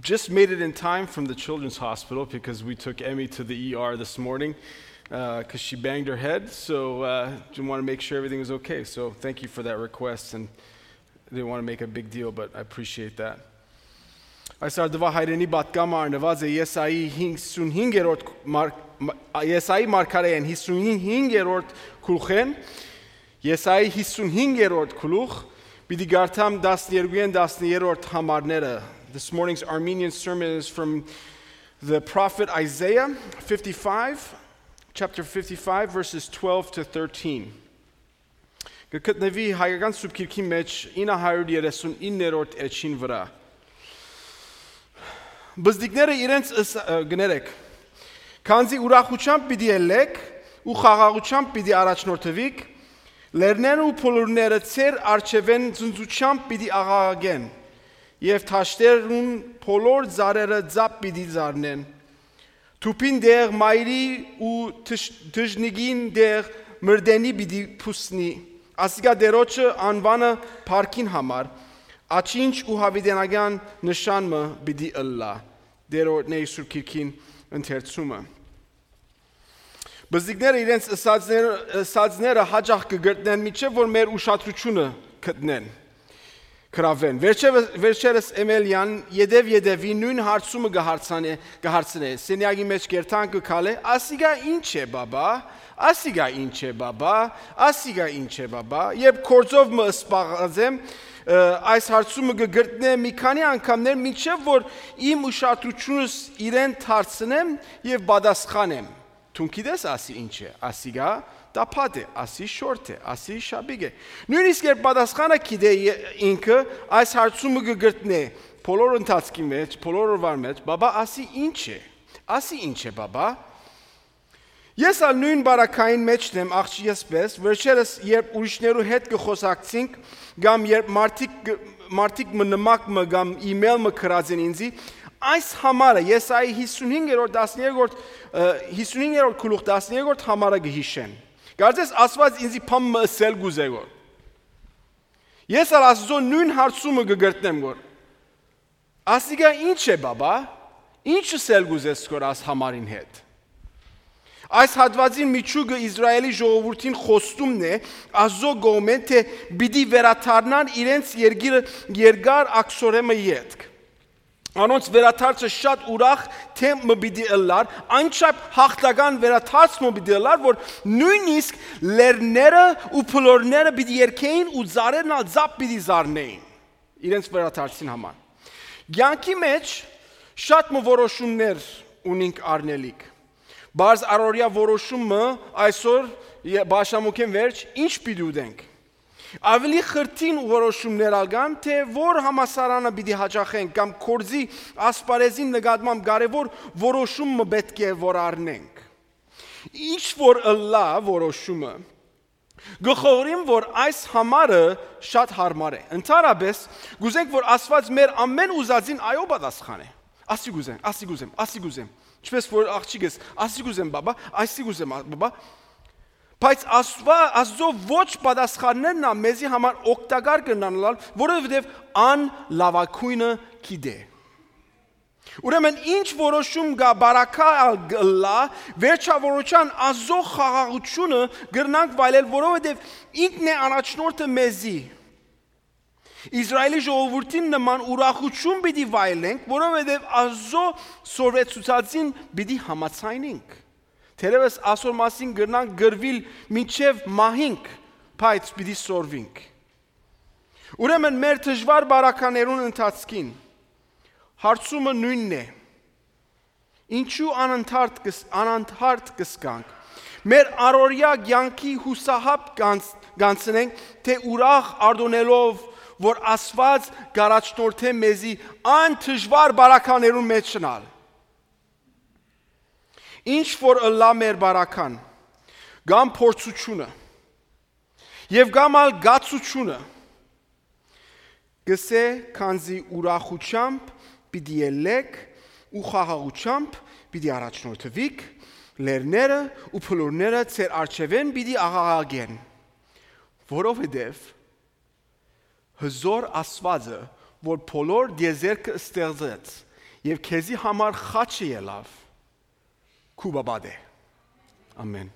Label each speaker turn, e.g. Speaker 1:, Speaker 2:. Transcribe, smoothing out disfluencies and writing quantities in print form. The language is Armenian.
Speaker 1: just made it in time from the children's hospital because we took Emmy to the ER this morning because she banged her head. So just want to make sure everything was okay. So thank you for that request, and I didn't want to make a big deal, but I appreciate that. Այսօր դվա հայրենի պատգամը արնված է Եսայի 55-րդ Եսայի մարգարեին 55-րդ գլուխեն Եսայի 55-րդ գլուխ պիտի գարթամ 12-ն 10-րդ համարները. This morning's Armenian sermon is from the prophet Isaiah 55, chapter 55, verses 12 to 13. Գտնվի հայկական սուբկիրքի մեջ 939-րդ էջին վրա. Բզդիկները իրենց գներեք, քանզի ուրախությամբ պիտի ելեք ու խաղաղությամբ պիտի առաջնորդվիք, լեռներն ու փոլորները ծեր արջևեն ծնծությամբ պիտի աղաղագեն, և թաշտերուն փոլոր ծառերը ձապ պիտի զարնեն, թուփին դեղ մայրի ու դժնիգին դեղ մրդենի պիտի փուսնի, ասիկա դերոջը անվանը փարքին համար, աչինչ ու հավիտենական նշանը պիտի ըլլա, դերոջն է Սուրբ Գիրքին ընթերցումը. Բզդիկները իրենց ըսածները հաճախ կգտնեն միջև որ մեր ուշադրությունը գտնեն, կրավեն. Վերջերս Էմելյան յետևի նույն հարցումը կհարցնե, սենյակի մեջ կերտան կքալե, ասիկա ինչ է բաբա, ասիկա ինչ է բաբա, ասիկա ինչ է բաբա, երբ կորձով մը սպաղազեմ, այս հարցումը կգտնե մի քանի անգամներ միջև որ իմ ուշադրությունս իրեն թարցնեմ և բադասխանեմ. Թունքիդես ասի ինչ է, ասիկա տապատ է, ասի շորտ է, ասի շաբիկ է. Նույնիսկ երբ բադասխանը գիտե ինքը այս հարցումը կգտնե բոլոր ընթացքի մեջ, բոլոր օրվա մեջ, բաբա ասի ինչ է, ասի ինչ է բաբա. Ես ալ նույն բարակային մեջն եմ աղջիկս պես, վերջերս երբ ուրիշներու հետ կխոսակցենք, կամ երբ մարդիկ մնմակ մը կամ իմեյլ մը կրած են ինձի, այս համարը Եսայի 55-րդ գլուխ 13-րդ համարը կհիշեն. Կարծես ասված ինձի փամ մը ըսել գուզեգոր. Ես ալ Աստծո նույն հարցումը կգտնեմ գոր. Ասիկա ինչ է բաբա, ինչ ըսել գուզես գոր աս համարին հետ. Այս հատվածին միջուկը Իսրայելի ժողովրդին խոստումն է Աստծո կողմեն թե պիտի վերաթարնան իրենց երկար ակսորեմը ետք. Անոնց վերաթարցը շատ ուրախ թեմը պիտի ըլլար, այնչափ հաղթական վերաթարցը պիտի ըլլար, որ նույնիսկ լեռները ու փլորները պիտի երգեին ու ծառերն ալ ձապ պիտի զարնեին իրենց վերաթարցին համար. Կյանքի մեջ շատ որոշումներ ունենք առնելիք. Բայց առօրյա որոշումը այսօր բաշամուկեն վերջ ինչ պիտի ուտենք. Ավելի խրթին որոշումներ ալգան, թե որ համասարանը պիտի հաճախենք կամ կորձի ասպարեզին նկատմամբ կարևոր որոշումը պետք է որ առնենք. Ինչ որ ըլլա որոշումը, գխորիմ որ այս համարը շատ հարմար է. Ընդհանրապես գուզենք որ Աստված մեր ամեն ուզածին այո պատասխան է. Ասի գուզեմ. Չպես որ աղջիկս, ասի գուզեմ բաբա, այսի գուզեմ բաբա, բայց Աստծո ոչ պատասխաններն մեզի համար օգտակար կնանալ, որովհետև ան լավագույնը գիտե. Ուրեմն ինչ որոշում գա բարակա ալլա, վերջավորության Աստծո խաղաղությունը գրնանք վայելել, որովհետև ինքն է առաջնորդը մեզի. Իսրայելի ժողովրդին նման ուրախություն պիտի վայելենք, որովհետև Աստծո սորվեցուցածին պիտի համաձայնենք. Թերևս այսօր մասին գրնանք գրվել մինչև մահինք, բայց պիտի սորվենք. Ուրեմն մեր դժվար բարականերուն ընթացքին հարցումը նույնն է. ինչու անընդհատ կսկանք, մեր առօրյա կյանքի հուսահապ կանցնենք, թե ուրախ արդոնելով որ Աստված գարաչնորդ է մեզի ան դժվար բարականերուն մեջ շնալ. Ինչ որ ըլլա մեր բարական, գամ փորձությունը և գամ ալ գացությունը, գսե քանզի ուրախությամբ պիտի ելեք ու խաղաղությամբ պիտի առաջնորդվիք, լեռները ու փլորները ձեր առջևեն պիտի աղաղագեն, որովհետև հզոր Աստվածը, որ բոլոր դիեզերքը ստեղծեց եւ քեզի համար խաչը ելավ քու բաբադե ամեն